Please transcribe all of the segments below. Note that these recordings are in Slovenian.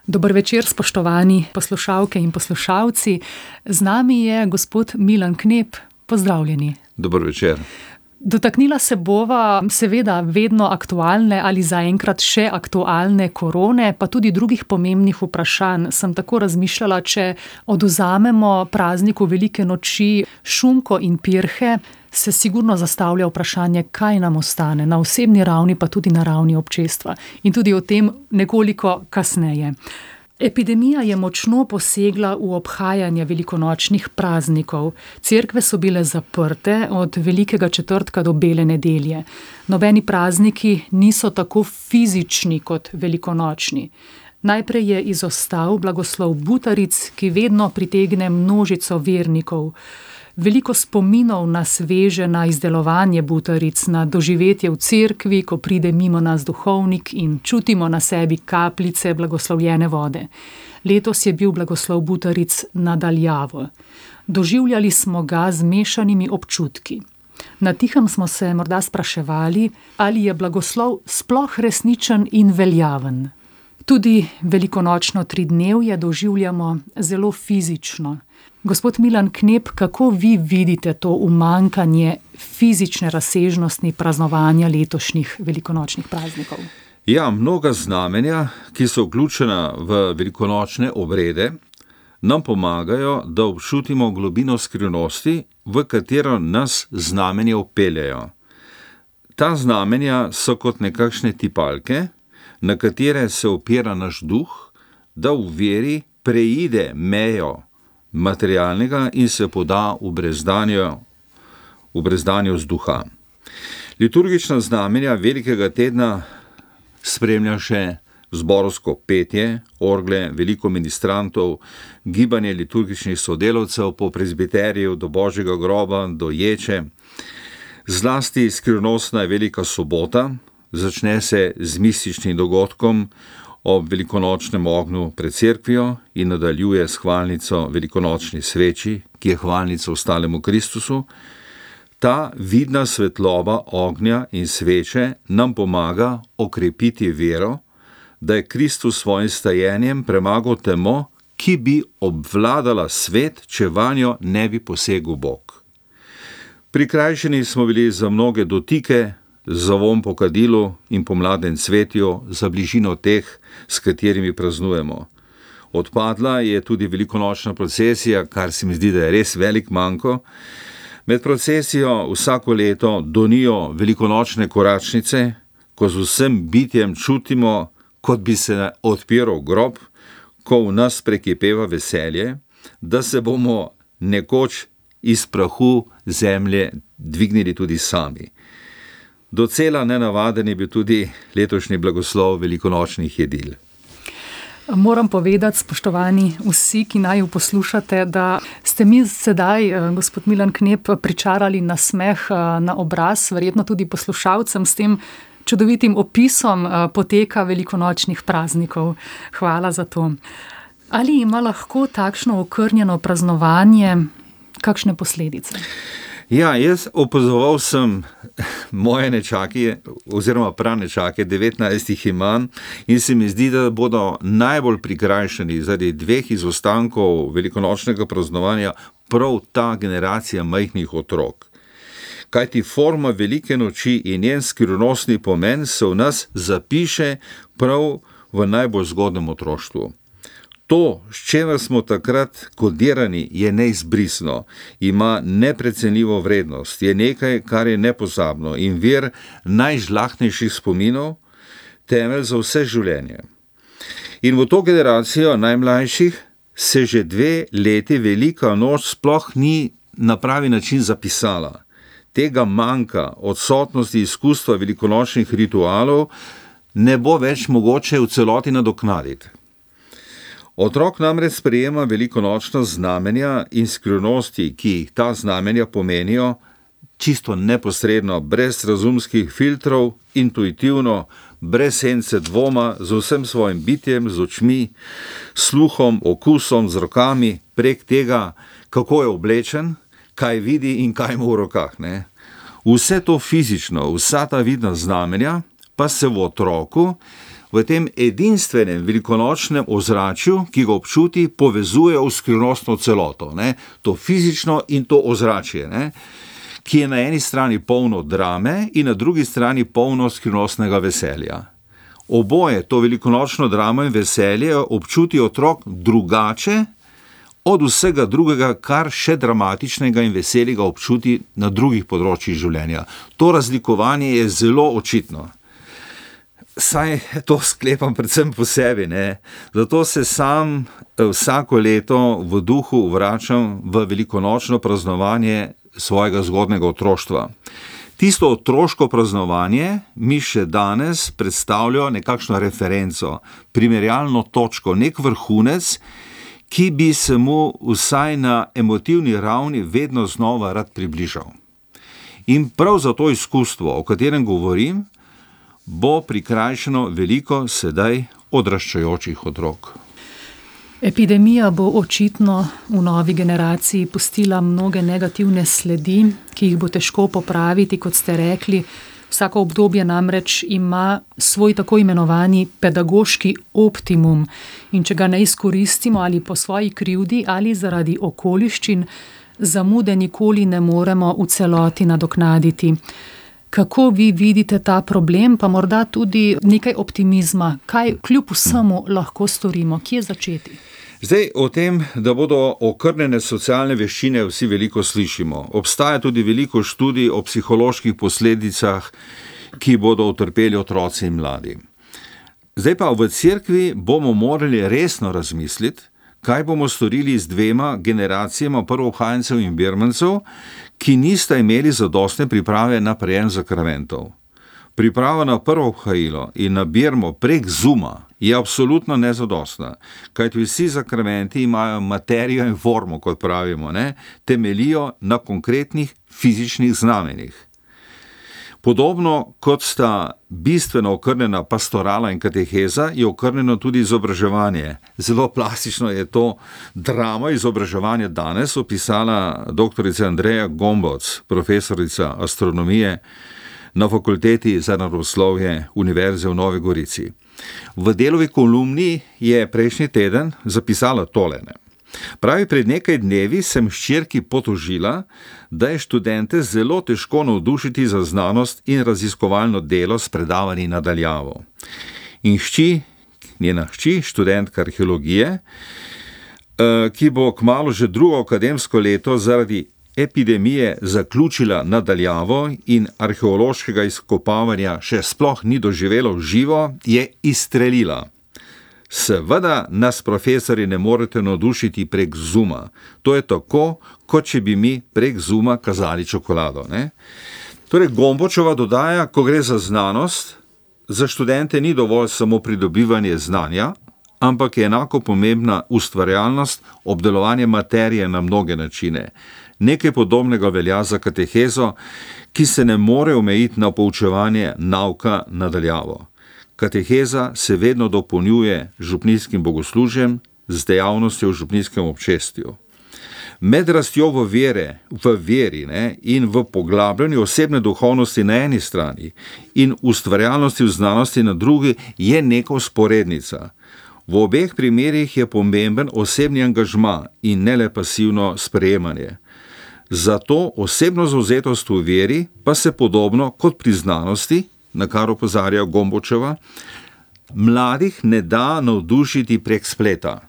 Dober večer, spoštovani poslušalke in poslušalci. Z nami je gospod Milan Knep. Pozdravljeni. Dober večer. Dotaknila se bova seveda vedno aktualne ali zaenkrat še aktualne korone, pa tudi drugih pomembnih vprašanj. Sem tako razmišljala, če odvzamemo prazniku velike noči šunko in pirhe, se sigurno zastavlja vprašanje, kaj nam ostane, na osebni ravni, pa tudi na ravni občestva. In tudi o tem nekoliko kasneje. Epidemija je močno posegla v obhajanje velikonočnih praznikov. Cerkve so bile zaprte od Velikega četrtka do Bele nedelje. Nobeni prazniki niso tako fizični kot velikonočni. Najprej je izostal blagoslov butaric, ki vedno pritegne množico vernikov. Veliko spominov nas veže na izdelovanje butaric, na doživetje v cerkvi, ko pride mimo nas duhovnik in čutimo na sebi kapljice blagoslovljene vode. Letos je bil blagoslov butaric nadaljavo. Doživljali smo ga z mešanimi občutki. Na tihem smo se morda spraševali, ali je blagoslov sploh resničen in veljaven. Tudi velikonočno tridnevje doživljamo zelo fizično. Gospod Milan Knep, kako vi vidite to umanjkanje fizične razsežnosti praznovanja letošnjih velikonočnih praznikov? Ja, mnoga znamenja, ki so vključena v velikonočne obrede, nam pomagajo, da občutimo globino skrivnosti, v katero nas znamenja vpeljajo. Ta znamenja so kot nekakšne tipalke, na katere se opira naš duh, da v veri preide mejo materialnega in se poda v brezdanju vzduha. Liturgična znamenja velikega tedna spremlja še zborovsko petje, orgle, veliko ministrantov, gibanje liturgičnih sodelavcev po prezbiteriju do Božjega groba, do ječe. Zlasti skrivnostna je Velika sobota, začne se z mističnim dogodkom ob velikonočnem ognju pred cerkvijo in nadaljuje s hvalnico velikonočni sveči, ki je hvalnica ostalemu Kristusu. Ta vidna svetloba ognja in sveče nam pomaga okrepiti vero, da je Kristus svojim stajenjem premagal temo, ki bi obvladala svet, če vanjo ne bi posegel Bog. Prikrajšani smo bili za mnoge dotike, za vonj po kadilu in po mladem cvetju, za bližino teh, s katerimi praznujemo. Odpadla je tudi velikonočna procesija, kar se mi zdi, da je res velik manko. Med procesijo vsako leto donijo velikonočne koračnice, ko z vsem bitjem čutimo, kot bi se odpiral grob, ko v nas prekipeva veselje, da se bomo nekoč iz prahu zemlje dvignili tudi sami. Docela nenavaden je bil tudi letošnji blagoslov velikonočnih jedil. Moram povedati, spoštovani vsi, ki naju poslušate, da ste mi sedaj, gospod Milan Knep, pričarali nasmeh na obraz, verjetno tudi poslušalcem s tem čudovitim opisom poteka velikonočnih praznikov. Hvala za to. Ali ima lahko takšno okrnjeno praznovanje kakšne posledice? Ja, jaz opazoval sem moje nečake, oziroma pranečake, 19 jih imam, in se mi zdi, da bodo najbolj prikrajšani zaradi dveh izostankov velikonočnega praznovanja prav ta generacija majhnih otrok. Kajti forma velike noči in njen skrivnostni pomen se v nas zapiše prav v najbolj zgodnjem otroštvu. To, s čemer smo takrat kodirani, je neizbrisno, ima neprecenljivo vrednost, je nekaj, kar je nepozabno in vir najžlahtnejših spominov, temelj za vse življenje. In v to generacijo najmlajših se že 2 leti velika noč sploh ni na pravi način zapisala. Tega manjka, odsotnosti izkustva velikonočnih ritualov, ne bo več mogoče v celoti nadoknaditi. Otrok namreč sprejema velikonočna znamenja in skrivnosti, ki jih ta znamenja pomenijo, čisto neposredno, brez razumskih filtrov, intuitivno, brez sence dvoma, z vsem svojim bitjem, z očmi, sluhom, okusom, z rokami, prek tega, kako je oblečen, kaj vidi in kaj ima v rokah, ne? Vse to fizično, vsa ta vidna znamenja, pa se v otroku v tem edinstvenem velikonočnem ozračju, ki ga občuti, povezuje v skrivnostno celoto, ne? To fizično in to ozračje, ne? Ki je na eni strani polno drame in na drugi strani polno skrivnostnega veselja. Oboje, to velikonočno dramo in veselje, občuti otrok drugače od vsega drugega, kar še dramatičnega in veselega občuti na drugih področjih življenja. To razlikovanje je zelo očitno. Saj to sklepam predvsem po sebi, ne? Zato se sam vsako leto v duhu vračam v velikonočno praznovanje svojega zgodnjega otroštva. Tisto otroško praznovanje mi še danes predstavlja nekakšno referenco, primerjalno točko, nek vrhunec, ki bi se mu vsaj na emotivni ravni vedno znova rad približal. In prav za to izkustvo, o katerem govorim, bo prikrajšano veliko sedaj odraščajočih otrok. Epidemija bo očitno v novi generaciji pustila mnoge negativne sledi, ki jih bo težko popraviti, kot ste rekli. Vsako obdobje namreč ima svoj tako imenovani pedagoški optimum in če ga ne izkoristimo ali po svoji krivdi ali zaradi okoliščin, zamude nikoli ne moremo v celoti nadoknaditi. Kako vi vidite ta problem, pa morda tudi nekaj optimizma? Kaj kljub vsemu lahko storimo? Kje začeti? Zdaj, o tem, da bodo okrnjene socialne veščine, vsi veliko slišimo. Obstaja tudi veliko študij o psiholoških posledicah, ki bodo utrpeli otroci in mladi. Zdaj pa v cerkvi bomo morali resno razmisliti, kaj bomo storili z dvema generacijama prvoohajencev in birmancev, ki nista imeli zadostne priprave na prejem sakramentov. Priprava na prvo obhajilo in na birmo prek Zooma je absolutno nezadostna, kajti vsi sakramenti imajo materijo in formo, kot pravimo, ne? Temeljijo na konkretnih fizičnih znamenjih. Podobno kot sta bistveno okrnjena pastorala in kateheza, je okrnjeno tudi izobraževanje. Zelo plastično je to drama izobraževanja danes opisala doktorica Andreja Gomboc, profesorica astronomije na Fakulteti za naravoslovje Univerze v Novi Gorici. V Delovi kolumni je prejšnji teden zapisala tole. Pravi, pred nekaj dnevi sem hčerki potožila, da je študente zelo težko navdušiti za znanost in raziskovalno delo s predavanji na daljavo. In njena hči, študentka arheologije, ki bo kmalu že drugo akademsko leto zaradi epidemije zaključila na daljavo in arheološkega izkopavanja še sploh ni doživelo v živo, je izstrelila. Seveda nas profesori ne morete navdušiti prek Zooma. To je tako, kot če bi mi prek Zooma kazali čokolado, ne? Torej, Gombočeva dodaja, ko gre za znanost, za študente ni dovolj samo pridobivanje znanja, ampak je enako pomembna ustvarjalnost, obdelovanje materije na mnoge načine. Nekaj podobnega velja za katehezo, ki se ne more omejiti na poučevanje nauka na daljavo. Kateheza se vedno dopolnjuje župnijskim bogoslužjem z dejavnostjo v župnijskem občestju. Med rastjo v veri, ne, in v poglabljanju osebne duhovnosti na eni strani in ustvarjalnosti v znanosti na drugi je neka vzporednica. V obeh primerih je pomemben osebni angažma in ne le pasivno sprejemanje. Zato osebno zavzetost v veri pa se podobno kot pri znanosti, na kar opozarja Gombočeva, mladih ne da navdušiti prek spleta,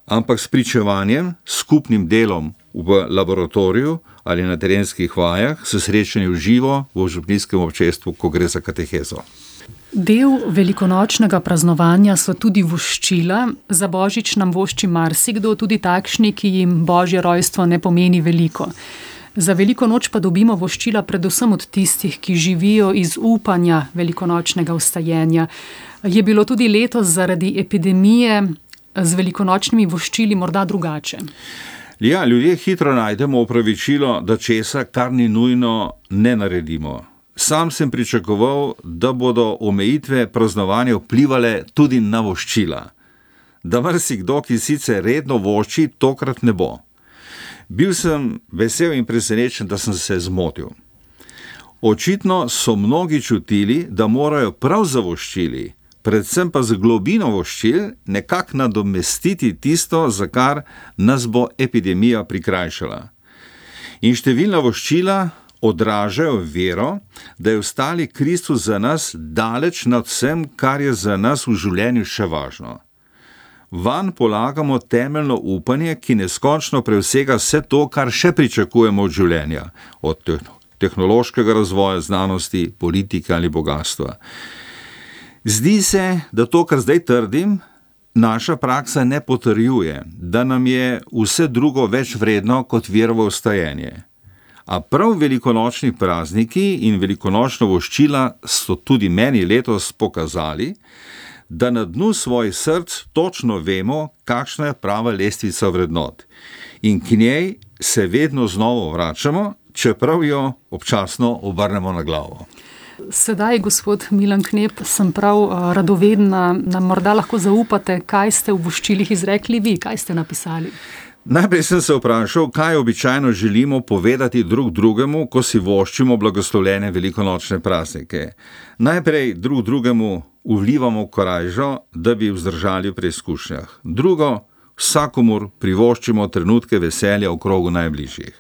ampak s pričevanjem, skupnim delom v laboratoriju ali na terenskih vajah, s srečanjem v živo v župnijskem občestvu, ko gre za katehezo. Del velikonočnega praznovanja so tudi voščila. Za božič nam vošči marsikdo, tudi takšni, ki jim božje rojstvo ne pomeni veliko. Za veliko noč pa dobimo voščila predvsem od tistih, ki živijo iz upanja velikonočnega vstajenja. Je bilo tudi letos zaradi epidemije z velikonočnimi voščili morda drugače? Ja, ljudje hitro najdemo opravičilo, da česa, kar ni nujno, ne naredimo. Sam sem pričakoval, da bodo omejitve praznovanja vplivale tudi na voščila. Da marsikdo, ki sicer redno vošči, tokrat ne bo. Bil sem vesel in presenečen, da sem se zmotil. Očitno so mnogi čutili, da morajo prav za voščili predvsem pa z globino voščil nekako nadomestiti tisto, za kar nas bo epidemija prikrajšala. In številna voščila odražajo vero, da je ostali Kristus za nas daleč nad vsem, kar je za nas v življenju še važno. Vanj polagamo temeljno upanje, ki neskončno presega vse to, kar še pričakujemo od življenja, od tehnološkega razvoja, znanosti, politike ali bogatstva. Zdi se, da to, kar zdaj trdim, naša praksa ne potrjuje, da nam je vse drugo več vredno kot verovo vstajenje. A prav velikonočni prazniki in velikonočna voščila so tudi meni letos pokazali, da na dnu svojih src točno vemo, kakšna je prava lestvica vrednot. In k njej se vedno znova vračamo, čeprav jo občasno obrnemo na glavo. Sedaj, gospod Milan Knep, sem prav radovedna, nam morda lahko zaupate, kaj ste v voščilih izrekli vi, kaj ste napisali. Najprej sem se vprašal, kaj običajno želimo povedati drug drugemu, ko si voščimo blagoslovljene velikonočne praznike. Najprej drug drugemu vlivamo korajžo, da bi vzdržali v preizkušnjah. Drugo, vsakomur privoščimo trenutke veselja v krogu najbližjih.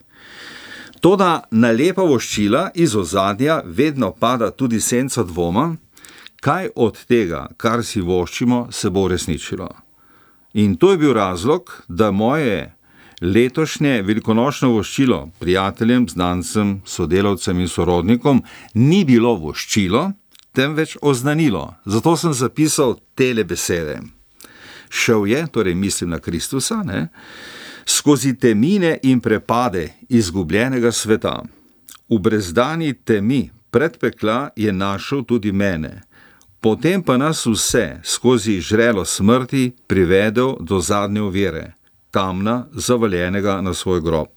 Toda na lepa voščila iz ozadja vedno pada tudi senca dvoma, kaj od tega, kar si voščimo, se bo uresničilo. In to je bil razlog, da moje letošnje velikonočno voščilo prijateljem, znancem, sodelavcem in sorodnikom ni bilo voščilo, temveč oznanilo. Zato sem zapisal tele besede. Šel je, torej mislim na Kristusa, skozi temine in prepade izgubljenega sveta. V brezdani temi predpekla je našel tudi mene. Potem pa nas vse skozi žrelo smrti privedel do zadnje ovire, kamna zavaljenega na svoj grob.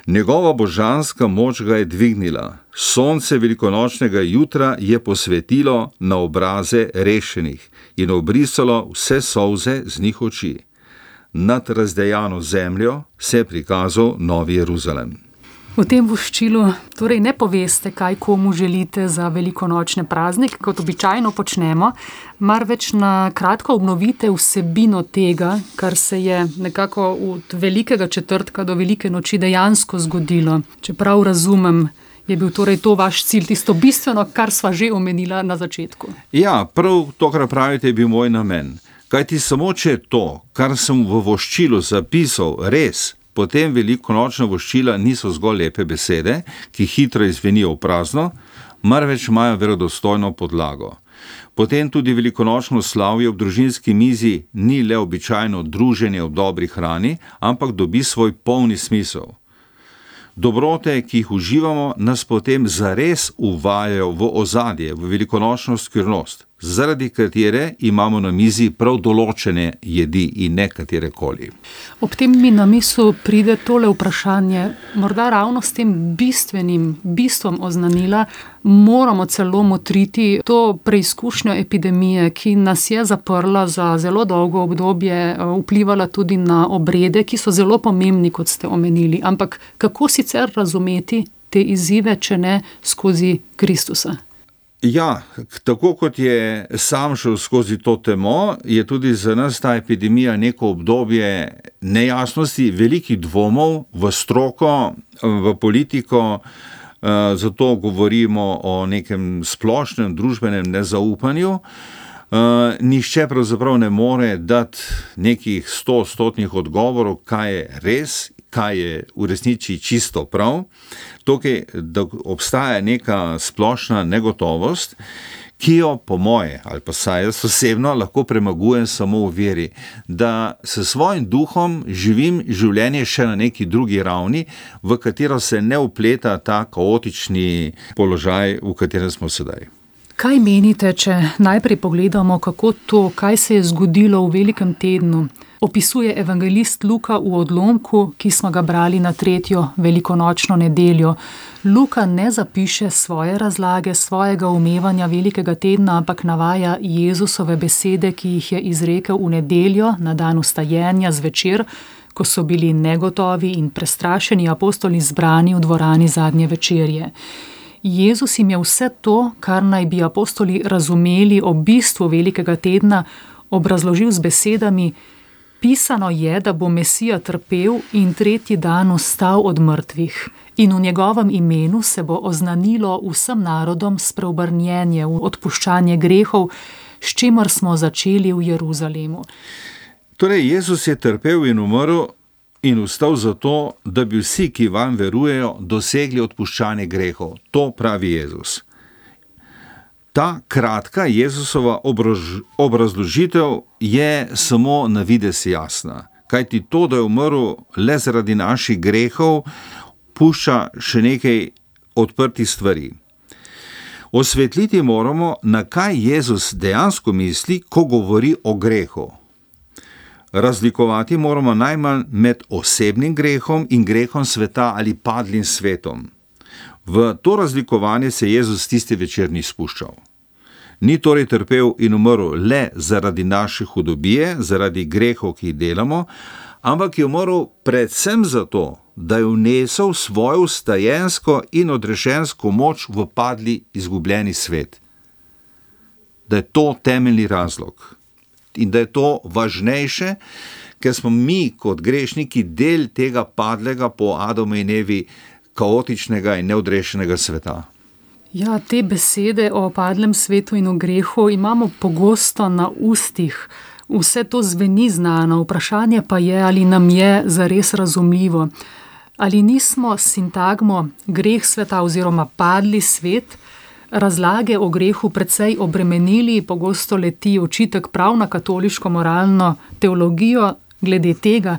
Njegova božanska moč ga je dvignila, sonce velikonočnega jutra je posvetilo na obraze rešenih in obrisalo vse solze z njih oči. Nad razdejano zemljo se je prikazal Novi Jeruzalem. V tem voščilu torej ne poveste, kaj komu želite za velikonočne praznike, kot običajno počnemo, marveč na kratko obnovite vsebino tega, kar se je nekako od velikega četrtka do velike noči dejansko zgodilo. Čeprav razumem, je bil torej to vaš cilj, tisto bistveno, kar sva že omenila na začetku. Ja, prav to, kar pravite, je bil moj namen. Kajti samo če je to, kar sem v voščilu zapisal, res, potem velikonočna voščila niso zgolj lepe besede, ki hitro izvenijo v prazno, marveč imajo verodostojno podlago. Potem tudi velikonočno slavje ob družinski mizi ni le običajno druženje ob dobri hrani, ampak dobi svoj polni smisel. Dobrote, ki jih uživamo, nas potem zares uvajajo v ozadje, v velikonočno skrivnost, zaradi katere imamo na mizi prav določene jedi in ne katerekoli. Ob tem mi na misel pride tole vprašanje, morda ravno s tem bistvom oznanila, moramo celo motriti to preizkušnjo epidemije, ki nas je zaprla za zelo dolgo obdobje, vplivala tudi na obrede, ki so zelo pomembni, kot ste omenili. Ampak kako sicer razumeti te izzive, če ne skozi Kristusa? Ja, tako kot je sam šel skozi to temo, je tudi za nas ta epidemija neko obdobje nejasnosti, velikih dvomov v stroko, v politiko, zato govorimo o nekem splošnem družbenem nezaupanju. Nihče pravzaprav ne more dati nekih 100% odgovorov, kaj je res, kaj je v resnici čisto prav. Tukaj, da obstaja neka splošna negotovost, ki jo po moje, ali pa saj jaz osebno, lahko premagujem samo v veri, da s svojim duhom živim življenje še na neki drugi ravni, v katero se ne vpleta ta kaotični položaj, v katerem smo sedaj. Kaj menite, če najprej pogledamo, kako to, kaj se je zgodilo v velikem tednu, opisuje evangelist Luka v odlomku, ki smo ga brali na 3. velikonočno nedeljo. Luka ne zapiše svoje razlage, svojega umevanja velikega tedna, ampak navaja Jezusove besede, ki jih je izrekel v nedeljo, na dan vstajenja zvečer, ko so bili negotovi in prestrašeni apostoli zbrani v dvorani zadnje večerje. Jezus jim je vse to, kar naj bi apostoli razumeli o bistvu velikega tedna, obrazložil z besedami: pisano je, da bo Mesija trpel in 3. dan vstal od mrtvih, in v njegovem imenu se bo oznanilo vsem narodom spreobrnjenje v odpuščanje grehov, s čimer smo začeli v Jeruzalemu. Torej, Jezus je trpel in umrl in vstal zato, da bi vsi, ki vam verujejo, dosegli odpuščanje grehov. To pravi Jezus. Ta kratka Jezusova obrazložitev je samo na videz jasna, kajti to, da je umrl le zaradi naših grehov, pušča še nekaj odprtih stvari. Osvetliti moramo, na kaj Jezus dejansko misli, ko govori o grehu. Razlikovati moramo najmanj med osebnim grehom in grehom sveta ali padlim svetom. V to razlikovanje se Jezus tisti večer ni spuščal. Ni torej trpel in umrl le zaradi naše hudobije, zaradi grehov, ki jih delamo, ampak je umrl predvsem zato, da je vnesel svojo vstajensko in odrešensko moč v padli, izgubljeni svet. Da je to temeljni razlog. In da je to važnejše, ker smo mi kot grešniki del tega padlega po Adamu in Evi kaotičnega in neodrešenega sveta. Ja, te besede o padlem svetu in o grehu imamo pogosto na ustih. Vse to zveni znano, vprašanje pa je, ali nam je zares razumljivo. Ali nismo s sintagmo greh sveta oziroma padli svet razlage o grehu precej obremenili, pogosto leti očitek prav na katoliško moralno teologijo glede tega,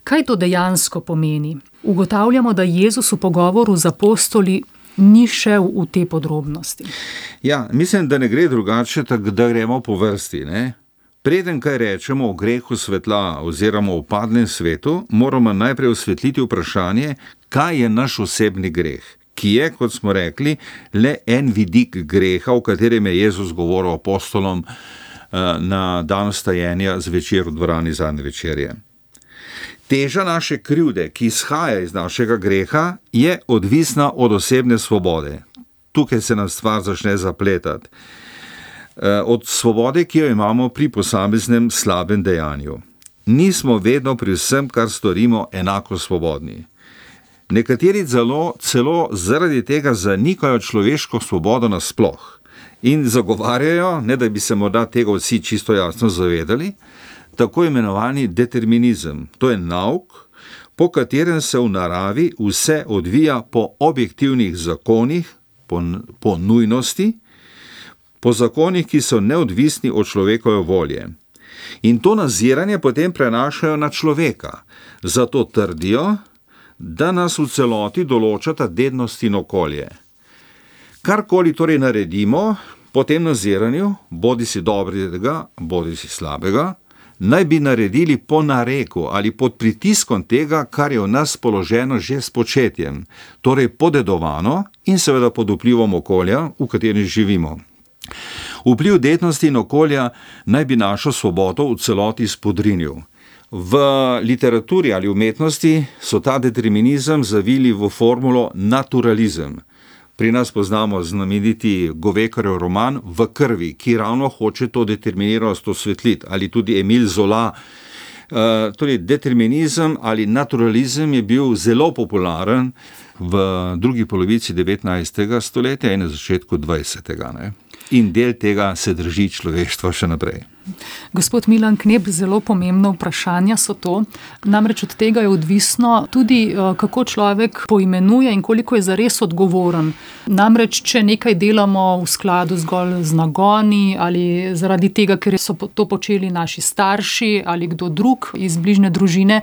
kaj to dejansko pomeni. Ugotavljamo, da Jezus v pogovoru z apostoli ni šel v te podrobnosti. Ja, mislim, da ne gre drugače, tako da gremo po vrsti, ne? Preden kaj rečemo o grehu svetla oziroma o padlem svetu, moramo najprej osvetliti vprašanje, kaj je naš osebni greh, ki je, kot smo rekli, le en vidik greha, o katerem je Jezus govoril apostolom na dan vstajenja zvečer v dvorani zadnje večerje. Teža naše krivde, ki izhaja iz našega greha, je odvisna od osebne svobode. Tukaj se nam stvar začne zapletati. Od svobode, ki jo imamo pri posameznem slabem dejanju. Nismo vedno pri vsem, kar storimo, enako svobodni. Nekateri celo zaradi tega zanikajo človeško svobodo nasploh in zagovarjajo, ne da bi se morda tega vsi čisto jasno zavedali, tako imenovani determinizem. To je nauk, po katerem se v naravi vse odvija po objektivnih zakonih, po nujnosti, po zakonih, ki so neodvisni od človekove volje. In to naziranje potem prenašajo na človeka. Zato trdijo, da nas v celoti določata dednost in okolje. Karkoli torej naredimo po tem naziranju, bodi si dobrega, bodi si slabega, naj bi naredili po nareku ali pod pritiskom tega, kar je v nas položeno že s početjem, torej podedovano in seveda pod vplivom okolja, v katerem živimo. Vpliv dednosti in okolja naj bi našo svobodo v celoti spodrinil. V literaturi ali umetnosti so ta determinizem zavili v formulo naturalizem. Pri nas poznamo znameniti Govekarjev roman V krvi, ki ravno hoče to determiniranost osvetliti, ali tudi Emile Zola. Torej, determinizem ali naturalizem je bil zelo popularen v drugi polovici 19. stoletja in na začetku 20. Ne? In del tega se drži človeštvo še naprej. Gospod Milan Knep, zelo pomembno vprašanja so to. Namreč od tega je odvisno tudi, kako človek poimenuje in koliko je zares odgovoren. Namreč, če nekaj delamo v skladu zgolj z nagoni ali zaradi tega, ker so to počeli naši starši ali kdo drug iz bližnje družine,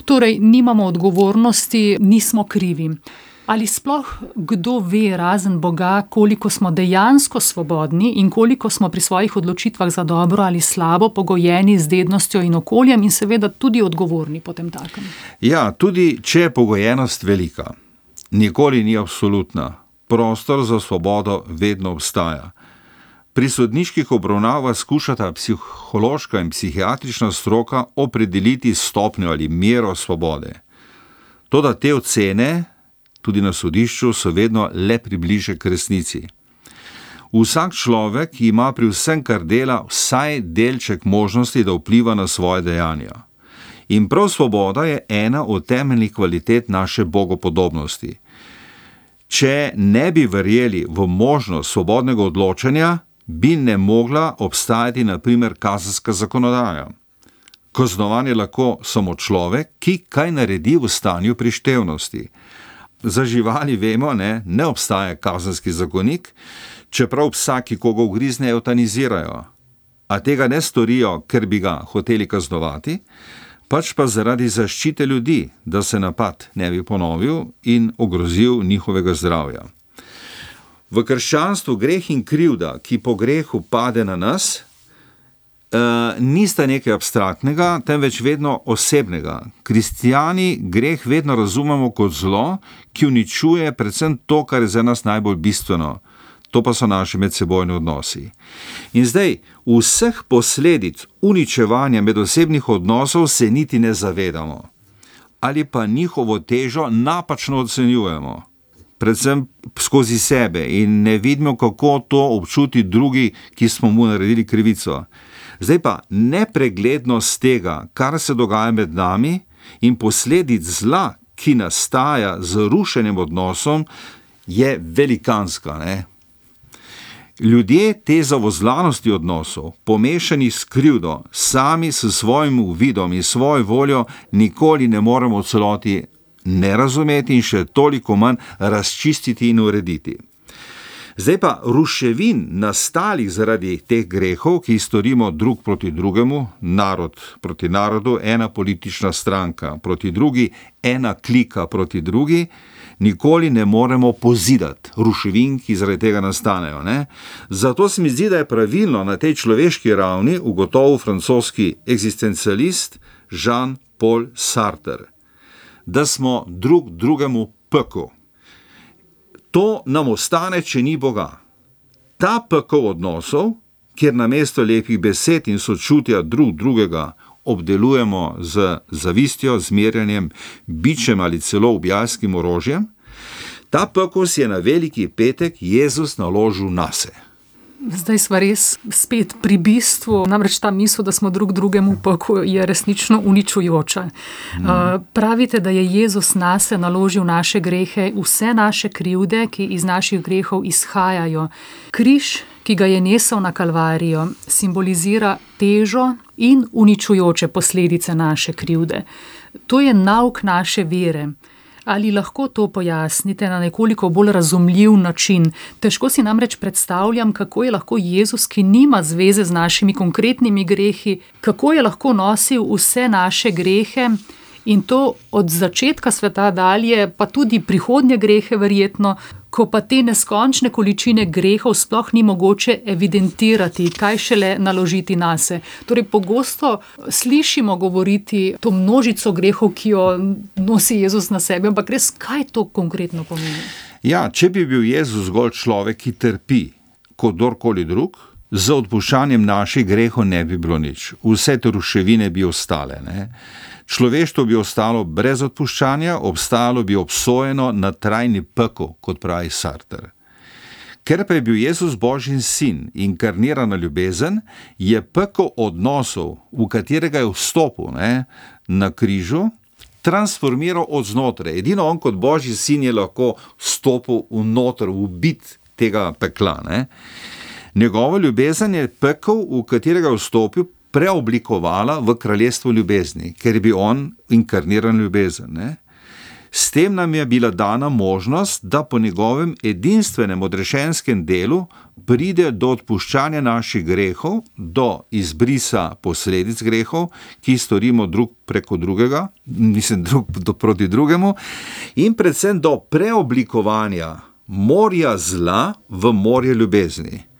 torej nimamo odgovornosti, nismo krivi. Ali sploh kdo ve, razen Boga, koliko smo dejansko svobodni in koliko smo pri svojih odločitvah za dobro ali slabo pogojeni z dednostjo in okoljem in seveda tudi odgovorni potem takem? Ja, tudi če je pogojenost velika, nikoli ni absolutna. Prostor za svobodo vedno obstaja. Pri sodniških obravnavah skušata psihološka in psihiatrična stroka opredeliti stopnjo ali mero svobode. Toda te ocene tudi na sodišču, so vedno le približek k resnici. Vsak človek ima pri vsem, kar dela, vsaj delček možnosti, da vpliva na svoje dejanja. In prav svoboda je ena od temeljnih kvalitet naše bogopodobnosti. Če ne bi verjeli v možnost svobodnega odločanja, bi ne mogla obstajati na primer kazenska zakonodaja. Kaznovan je lahko samo človek, ki kaj naredi v stanju prištevnosti. Za živali vemo, ne obstaja kazenski zakonik, čeprav psa, ki koga ugrizne, eutanizirajo. A tega ne storijo, ker bi ga hoteli kaznovati, pač pa zaradi zaščite ljudi, da se napad ne bi ponovil in ogrozil njihovega zdravja. V krščanstvu greh in krivda, ki po grehu pade na nas, nista nekaj abstraktnega, temveč vedno osebnega. Kristijani greh vedno razumemo kot zlo, ki uničuje predvsem to, kar je za nas najbolj bistveno. To pa so naši medsebojni odnosi. In zdaj, vseh posledic uničevanja medosebnih odnosov se niti ne zavedamo. Ali pa njihovo težo napačno ocenjujemo. Predvsem skozi sebe in ne vidimo, kako to občuti drugi, ki smo mu naredili krivico. Zdaj pa nepreglednost tega, kar se dogaja med nami in posledic zla, ki nastaja z rušenjem odnosom, je velikanska, Ljudje te zavozlanosti odnosov, pomešani s krivdo, sami s svojim uvidom in svojo voljo nikoli ne moremo v celoti ne razumeti in še toliko manj razčistiti in urediti. Zdaj pa ruševin nastalih zaradi teh grehov, ki jih storimo drug proti drugemu, narod proti narodu, ena politična stranka proti drugi, ena klika proti drugi, nikoli ne moremo pozidati ruševin, ki zaradi tega nastanejo. Zato se mi zdi, da je pravilno na tej človeški ravni ugotovil francoski eksistencialist Jean-Paul Sartre, da smo drug drugemu pekel. To nam ostane, če ni Boga. Ta pekel odnosov, kjer namesto lepih besed in sočutja drug drugega obdelujemo z zavistjo, zmerjanjem, bičem ali celo ubijalskim orožjem, ta pekel si je na veliki petek Jezus naložil nase. Zdaj sva res spet pri bistvu, namreč ta misel, da smo drug drugemu pekel, je resnično uničujoča. Pravite, da je Jezus nase naložil naše grehe, vse naše krivde, ki iz naših grehov izhajajo. Križ, ki ga je nesel na Kalvarijo, simbolizira težo in uničujoče posledice naše krivde. To je nauk naše vere. Ali lahko to pojasnite na nekoliko bolj razumljiv način? Težko si namreč predstavljam, kako je lahko Jezus, ki nima zveze z našimi konkretnimi grehi, kako je lahko nosil vse naše grehe in to od začetka sveta dalje, pa tudi prihodnje grehe verjetno, ko pa te neskončne količine grehov sploh ni mogoče evidentirati, kaj šele naložiti nase. Torej, pogosto slišimo govoriti to množico grehov, ki jo nosi Jezus na sebi, ampak res, kaj to konkretno pomeni? Ja, če bi bil Jezus zgolj človek, ki trpi kot kdorkoli drug, z odpuščanjem naših grehov ne bi bilo nič. Vse te ruševine bi ostale, Človeštvo bi ostalo brez odpuščanja, obstajalo bi obsojeno na trajni pekel, kot pravi Sartre. Ker pa je bil Jezus Božji sin, inkarnirana ljubezen, je pekel odnosov, v katerega je vstopil na križu, transformiral od znotraj. Edino on kot Božji sin je lahko vstopil vnoter, v bit tega pekla. Njegova ljubezen je pekel, v katerega je vstopil, preoblikovala v kraljestvo ljubezni, ker je bil on inkarniran ljubezen. S tem nam je bila dana možnost, da po njegovem edinstvenem odrešenskem delu pride do odpuščanja naših grehov, do izbrisa posledic grehov, ki storimo drug preko drugega, drug proti drugemu, in predvsem do preoblikovanja morja zla v morje ljubezni.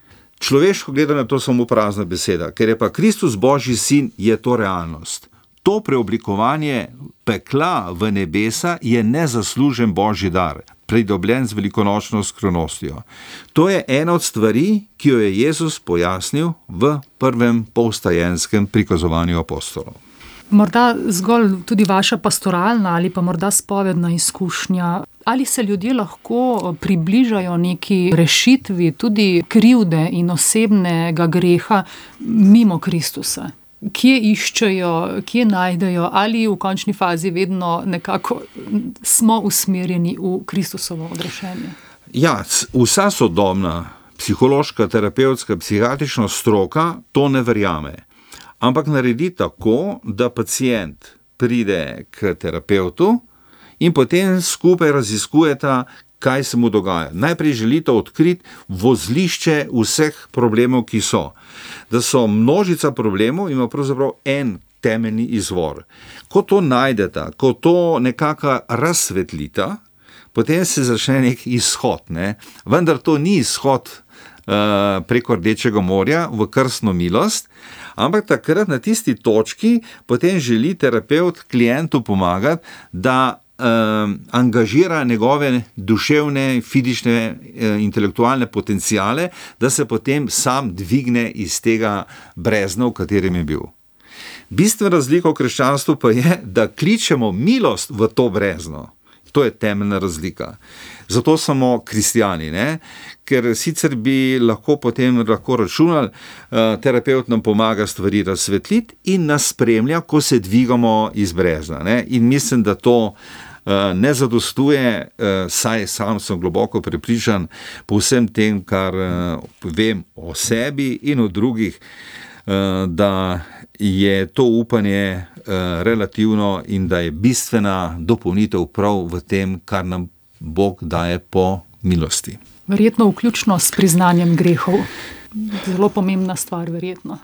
Človeško gledano je to samo prazna beseda, ker je pa Kristus Božji sin, je to realnost. To preoblikovanje pekla v nebesa je nezaslužen Božji dar, pridobljen z velikonočno skrivnostjo. To je ena od stvari, ki jo je Jezus pojasnil v prvem polstajenskem prikazovanju apostolov. Morda zgolj tudi vaša pastoralna ali pa morda spovedna izkušnja. Ali se ljudje lahko približajo neki rešitvi tudi krivde in osebnega greha mimo Kristusa? Kje iščejo, kje najdejo, ali v končni fazi vedno nekako smo usmerjeni v Kristusovo odrešenje? Ja, vsa sodobna psihološka, terapevtska, psihiatrična stroka to ne verjame. Ampak naredi tako, da pacient pride k terapevtu in potem skupaj raziskujeta, kaj se mu dogaja. Najprej želite odkriti vozlišče vseh problemov, ki so. Da so množica problemov, ima pravzaprav en temeljni izvor. Ko to najdeta, ko to nekako razsvetlita, potem se začne nek izhod. Ne? Vendar to ni izhod preko Rdečega morja v krstno milost, ampak takrat na tisti točki potem želi terapevt klientu pomagati, da angažira njegove duševne, fizične, intelektualne potencijale, da se potem sam dvigne iz tega brezna, v katerem je bil. Bistvena razlika v krščanstvu pa je, da kličemo milost v to brezno. To je temeljna razlika. Zato smo kristjani, ne? Ker sicer bi lahko potem računali, terapevt nam pomaga stvari razsvetliti in nas spremlja, ko se dvigamo iz brezna. Ne? In mislim, da to ne zadostuje, saj sam sem globoko prepričan po vsem tem, kar vem o sebi in o drugih, da je to upanje relativno in da je bistvena dopolnitev prav v tem, kar nam Bog daje po milosti. Verjetno vključno s priznanjem grehov. Zelo pomembna stvar, verjetno.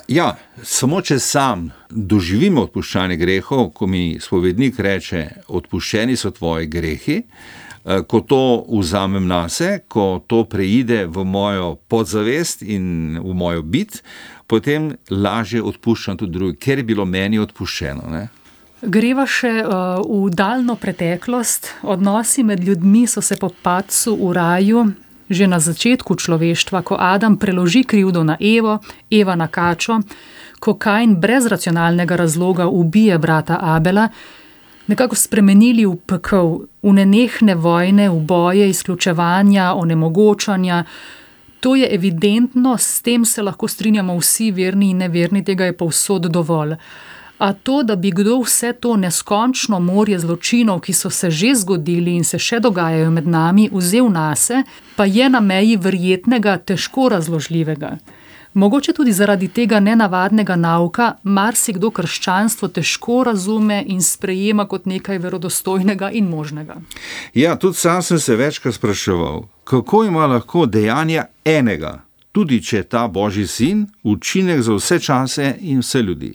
Ja, samo če sam doživim odpuščanje grehov, ko mi spovednik reče, odpuščeni so tvoji grehi, ko to vzamem nase, ko to preide v mojo podzavest in v mojo bit, potem lažje odpuščam tudi drugi, ker je bilo meni odpuščeno. Ne? Greva še v daljno preteklost. Odnosi med ljudmi so se po padcu v raju že na začetku človeštva, ko Adam preloži krivdo na Evo, Eva na kačo, ko Kain brez racionalnega razloga ubije brata Abela, nekako spremenili v pekel, v nenehne vojne, v boje, izključevanja, onemogočanja. To je evidentno, s tem se lahko strinjamo vsi, verni in neverni, tega je povsod dovolj. A to, da bi kdo vse to neskončno morje zločinov, ki so se že zgodili in se še dogajajo med nami, vzel nase, pa je na meji verjetnega, težko razložljivega. Mogoče tudi zaradi tega nenavadnega nauka marsikdo krščanstvo težko razume in sprejema kot nekaj verodostojnega in možnega. Ja, tudi sam sem se večkrat spraševal, kako ima lahko dejanja enega, tudi če je ta Božji sin, učinek za vse čase in vse ljudi.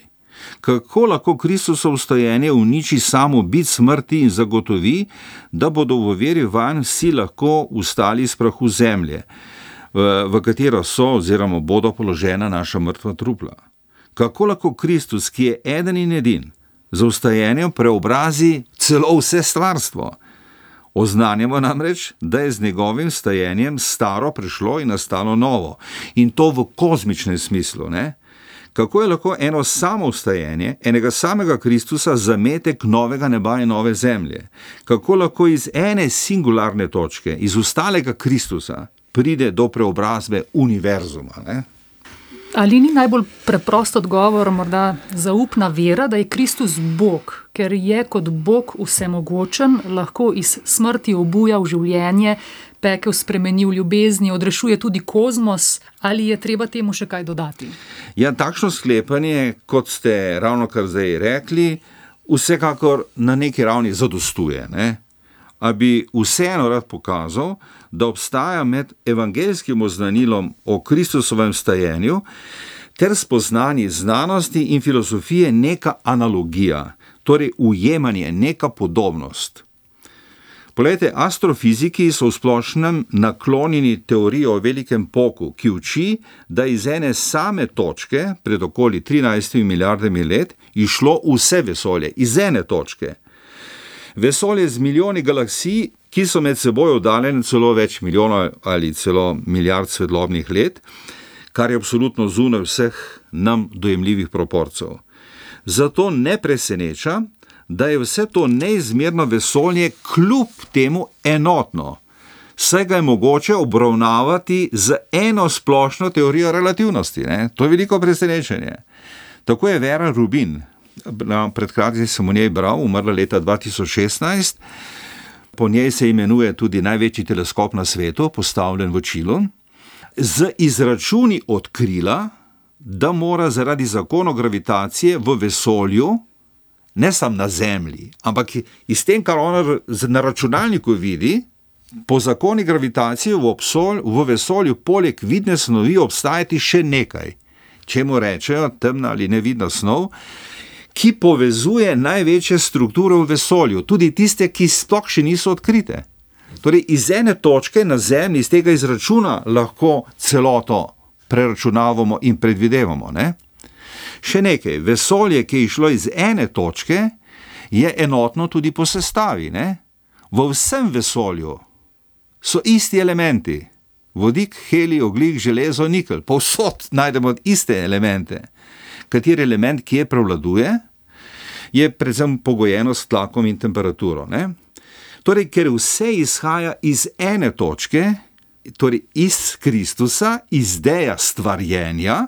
Kako lahko Kristusovo stojenje uniči samo bit smrti in zagotovi, da bodo v veri vanj vsi lahko vstali iz prahu zemlje, v katero so oziroma bodo položena naša mrtva trupla. Kako lahko Kristus, ki je eden in edin, z vstajenjem preobrazi celo vse stvarstvo? Oznanjamo namreč, da je z njegovim vstajenjem staro prešlo in nastalo novo. In to v kozmičnem smislu, ne? Kako je lahko eno samo vstajenje, enega samega Kristusa zametek novega neba in nove zemlje? Kako lahko iz ene singularne točke, iz ostalega Kristusa, pride do preobrazbe univerzuma, ne? Ali ni najbolj preprost odgovor morda zaupna vera, da je Kristus Bog, ker je kot Bog vsemogočen, lahko iz smrti obuja v življenje, pekel spremeni v ljubezni, odrešuje tudi kozmos, ali je treba temu še kaj dodati? Ja, takšno sklepanje, kot ste ravnokar zdaj rekli, vsekakor na neki ravni zadostuje, ne? A bi vseeno rad pokazal, da obstaja med evangelskim oznanilom o Kristusovem vstajenju ter spoznanji znanosti in filozofije neka analogija, torej ujemanje, neka podobnost. Poglejte, astrofiziki so v splošnem naklonjeni teoriji o velikem poku, ki uči, da iz ene same točke, pred okoli 13 milijardami let, išlo vse vesolje, iz ene točke. Vesolje z milijoni galaksij, ki so med seboj oddaljene celo več milijonov ali celo milijard svetlobnih let, kar je absolutno zunaj vseh nam dojemljivih proporcev. Zato ne preseneča, da je vse to neizmerno vesolje kljub temu enotno. Saj ga je mogoče obravnavati z eno splošno teorijo relativnosti. Ne? To je veliko presenečenje. Tako je Vera Rubin, pred kratkim sem o njej bral, umrla leta 2016, po njej se imenuje tudi največji teleskop na svetu, postavljen v Čilu, z izračuni odkrila, da mora zaradi zakonov gravitacije v vesolju, ne samo na Zemlji, ampak iz tem, kar ona na računalniku vidi, po zakoni gravitacije v vesolju poleg vidne snovi obstajati še nekaj, čemu rečejo temna ali nevidna snov, ki povezuje največje strukture v vesolju, tudi tiste, ki sploh še niso odkrite. Torej, iz ene točke na Zemlji, iz tega izračuna lahko celoto preračunavamo in predvidevamo. Ne? Še nekaj, vesolje, ki je šlo iz ene točke, je enotno tudi po sestavi. Ne? V vsem vesolju so isti elementi. Vodik, helij, ogljik, železo, nikelj. Povsod najdemo iste elemente. Kateri element, ki je prevladuje, je predvsem pogojeno s tlakom in temperaturo. Ne? Torej, ker vse izhaja iz ene točke, torej iz Kristusa, iz ideja stvarjenja,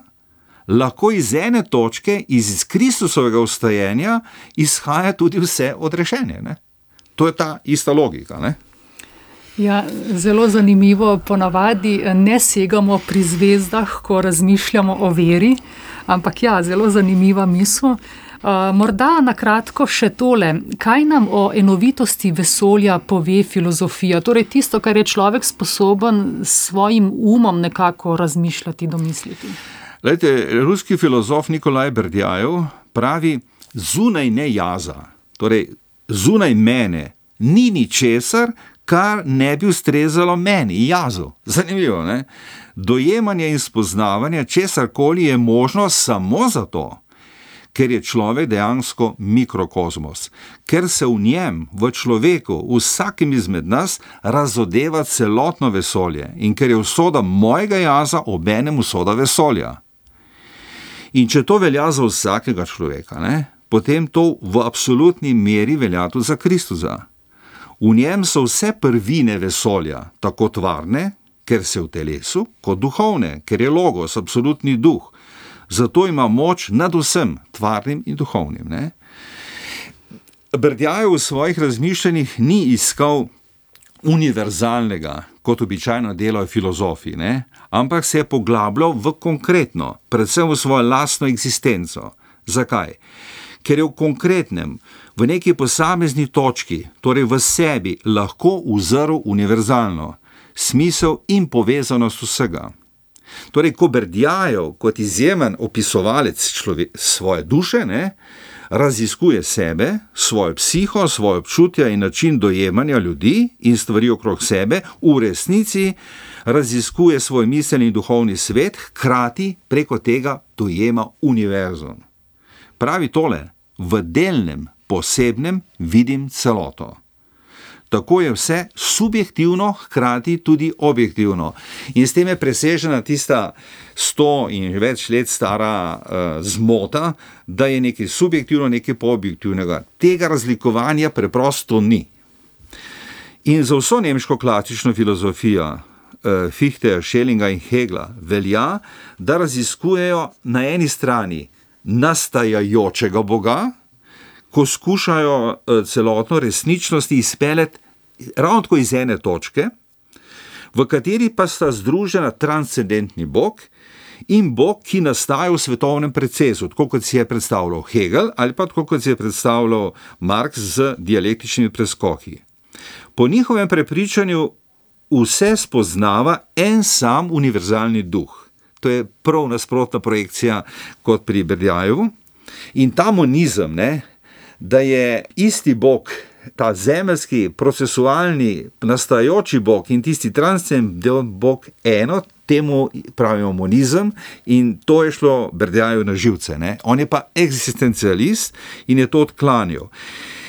lahko iz ene točke, iz Kristusovega vstajenja, izhaja tudi vse odrešenje. Ne? To je ta ista logika. Ne? Ja, zelo zanimivo, ponavadi ne segamo pri zvezdah, ko razmišljamo o veri, ampak ja, zelo zanimiva misel. Morda na kratko še tole, kaj nam o enovitosti vesolja pove filozofija, torej tisto, kar je človek sposoben s svojim umom nekako razmišljati, domisliti. Glejte, ruski filozof Nikolaj Berdjajev pravi, zunaj ne jaza, torej zunaj mene ni ničesar, kar ne bi ustrezalo meni, jazu. Zanimivo, ne? Dojemanje in spoznavanje česarkoli je možno samo zato, ker je človek dejansko mikrokozmos, ker se v njem, v človeku, vsakem izmed nas razodeva celotno vesolje in ker je usoda mojega jaza obenem usoda vesolja. In če to velja za vsakega človeka, ne, potem to v absolutni meri velja tudi za Kristusa. V njem so vse prvine vesolja, tako tvarne, ker se v telesu, kot duhovne, ker je logos, absolutni duh. Zato ima moč nad vsem, tvarnim in duhovnim. Ne? Berdjajev v svojih razmišljanjih ni iskal univerzalnega, kot običajno delajo filozofi, ne? Ampak se je poglabljal v konkretno, predvsem v svojo lastno eksistenco. Zakaj? Ker je v konkretnem, v neki posamezni točki, torej v sebi, lahko uzrl univerzalno, smisel in povezanost vsega. Torej, ko Berdjajev kot izjemen opisovalec svoje duše, ne, raziskuje sebe, svojo psiho, svoje občutja in način dojemanja ljudi in stvari okrog sebe, v resnici raziskuje svoj miselni in duhovni svet, hkrati preko tega dojema univerzum. Pravi tole, v delnem, posebnem vidim celoto. Tako je vse subjektivno, hkrati tudi objektivno. In s tem je presežena tista 100 in več let stara zmota, da je nekaj subjektivno, nekaj objektivnega. Tega razlikovanja preprosto ni. In za vso nemško klasično filozofijo Fichteja, Schellinga in Hegla velja, da raziskujejo na eni strani nastajajočega Boga, ko skušajo celotno resničnost izpeljati ravno tako iz ene točke, v kateri pa sta združena transcendentni Bog in Bog, ki nastaja v svetovnem procesu, tako kot si je predstavljal Hegel ali pa tako kot si je predstavljal Marx z dialektičnimi preskoki. Po njihovem prepričanju vse spoznava en sam univerzalni duh. To je prav nasprotna projekcija kot pri Berdjajevu. In ta monizem, ne, da je isti Bog, ta zemeljski, procesualni, nastajajoči Bog in tisti transcendentni Bog eno, temu pravimo monizem in to je šlo Berdjajevu na živce. Ne. On je pa eksistencialist in je to odklanjal.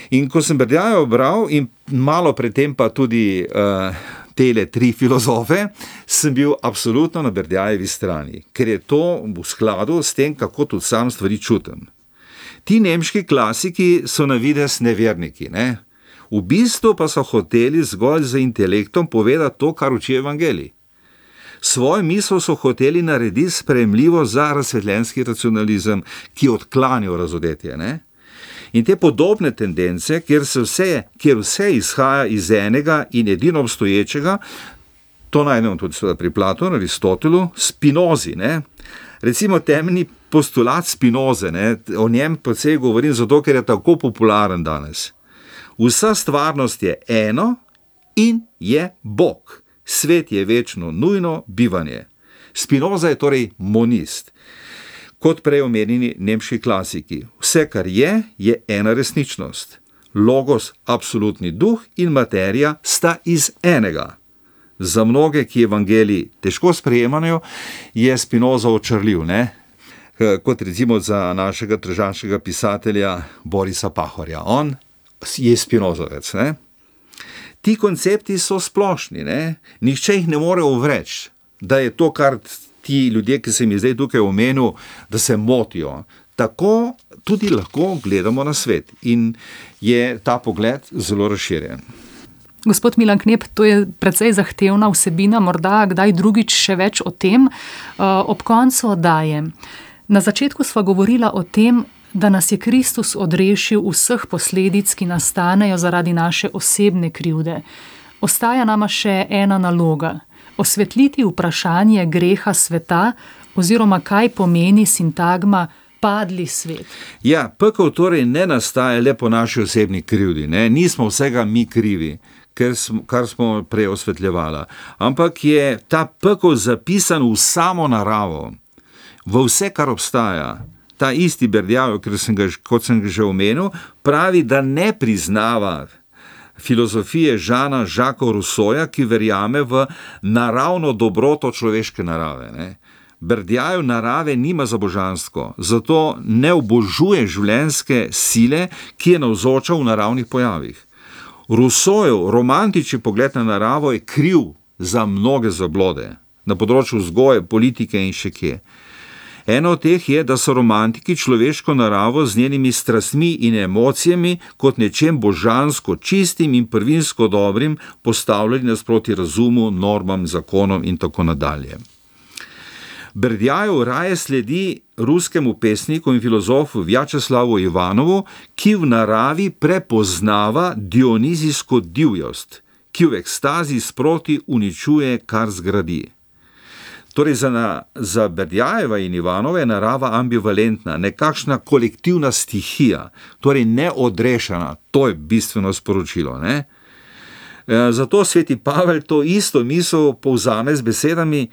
In ko sem Berdjajev bral in malo predtem pa tudi tele 3 filozofe, sem bil absolutno na Berdjajevi strani, ker je to v skladu s tem, kako tudi sam stvari čutim. Ti nemški klasiki so na videz neverniki, ne? V bistvu pa so hoteli zgolj z intelektom povedati to, kar uči evangelij. Svojo misel so hoteli narediti sprejemljivo za razsvetljenski racionalizem, ki odklanja razodetje, ne? In te podobne tendence, kjer vse izhaja iz enega in edino obstoječega, to najdemo tudi pri Platonu, Aristotelu, Spinozi, ne? Recimo temeljni postulat Spinoze, ne? O njem precej govorim zato, ker je tako popularen danes. Vsa stvarnost je eno in je Bog. Svet je večno nujno bivanje. Spinoza je torej monist. Kot prej omenjeni nemški klasiki. Vse, kar je ena resničnost. Logos, absolutni duh in materija sta iz enega. Za mnoge, ki evangelij težko sprejemajo, je Spinoza očarljiv, ne? Kot recimo za našega tržaškega pisatelja Borisa Pahorja. On je Spinozovec, ne? Ti koncepti so splošni, ne? Nihče jih ne more uvreči, da je to, kar ti ljudje, ki sem jih zdaj tukaj omenil, da se motijo. Tako tudi lahko gledamo na svet in je ta pogled zelo razširjen. Gospod Milan Knep, to je precej zahtevna vsebina, morda kdaj drugič še več o tem. Ob koncu oddaje. Na začetku sva govorila o tem, da nas je Kristus odrešil vseh posledic, ki nastanejo zaradi naše osebne krivde. Ostaja nama še ena naloga. Osvetliti vprašanje greha sveta oziroma kaj pomeni sintagma padli svet. Ja, pekel torej ne nastaja le po naši osebni krivdi, ne? Nismo vsega mi krivi, kar smo prej osvetljevala, ampak je ta pekel zapisan v samo naravo, v vse, kar obstaja. Ta isti Berdjajev, kot sem ga že omenil, pravi, da ne priznava filozofije Jeana Jacquesa Rousseauja, ki verjame v naravno dobroto človeške narave, ne? Berdjajev narave nima za božansko, zato ne obožuje življenjske sile, ki je navzoča v naravnih pojavih. Rousseaujev romantični pogled na naravo je kriv za mnoge zablode, na področju vzgoje, politike in še kje. Eno od teh je, da so romantiki človeško naravo z njenimi strastmi in emocijami kot nečem božansko čistim in prvinsko dobrim postavljali nasproti razumu, normam, zakonom in tako nadalje. Berdjajev raje sledi ruskemu pesniku in filozofu Vjačeslavu Ivanovu, ki v naravi prepoznava dionizijsko divjost, ki v ekstazi sproti uničuje, kar zgradi. Torej za Berdjajeva in Ivanova je narava ambivalentna, nekakšna kolektivna stihija, torej neodrešena, to je bistveno sporočilo, ne? Zato sveti Pavel to isto misel povzame z besedami,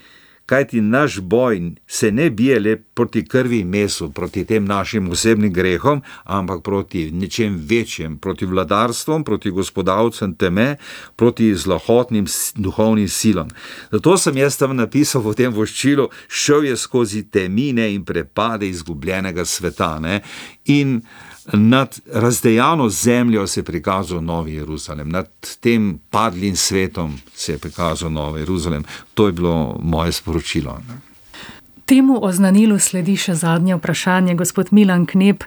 kajti naš boj se ne bije le proti krvi in mesu, proti tem našim osebnim grehom, ampak proti nečem večjem, proti vladarstvom, proti gospodavcem teme, proti zlohotnim duhovnim silam. Zato sem jaz tam napisal v tem voščilu, šel je skozi temine in prepade izgubljenega sveta, ne? In nad razdejano zemljo se je prikazal Novi Jeruzalem, nad tem padlim svetom se je prikazal Novi Jeruzalem. To je bilo moje sporočilo. Temu oznanilu sledi še zadnje vprašanje, gospod Milan Knep.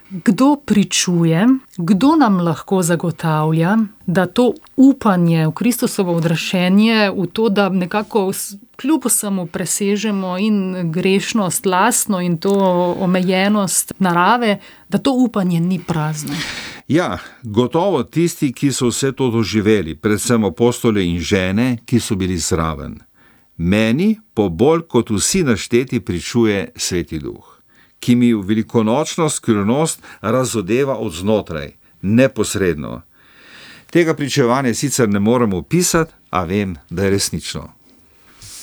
Kdo pričuje, kdo nam lahko zagotavlja, da to upanje v Kristusovo odrešenje, v to, da nekako kljub vsemu presežemo in grešnost lastno in to omejenost narave, da to upanje ni prazno? Ja, gotovo tisti, ki so vse to doživeli, predvsem apostoli in žene, ki so bili zraven. Meni po bolj kot vsi našteti pričuje Sveti Duh, ki mi v velikonočno skrivnost razodeva od znotraj, neposredno. Tega pričevanja sicer ne morem opisati, a vem, da je resnično.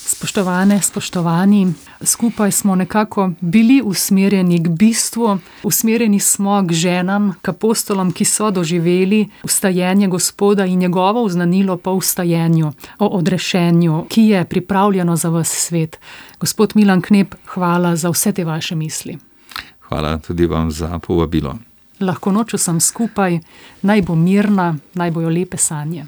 Spoštovane, spoštovani, skupaj smo nekako bili usmerjeni k bistvu, usmerjeni smo k ženam, k apostolom, ki so doživeli vstajenje Gospoda in njegovo oznanilo po vstajenju, o odrešenju, ki je pripravljeno za ves svet. Gospod Milan Knep, hvala za vse te vaše misli. Hvala tudi vam za povabilo. Lahko noč vsem skupaj, naj bo mirna, naj bojo lepe sanje.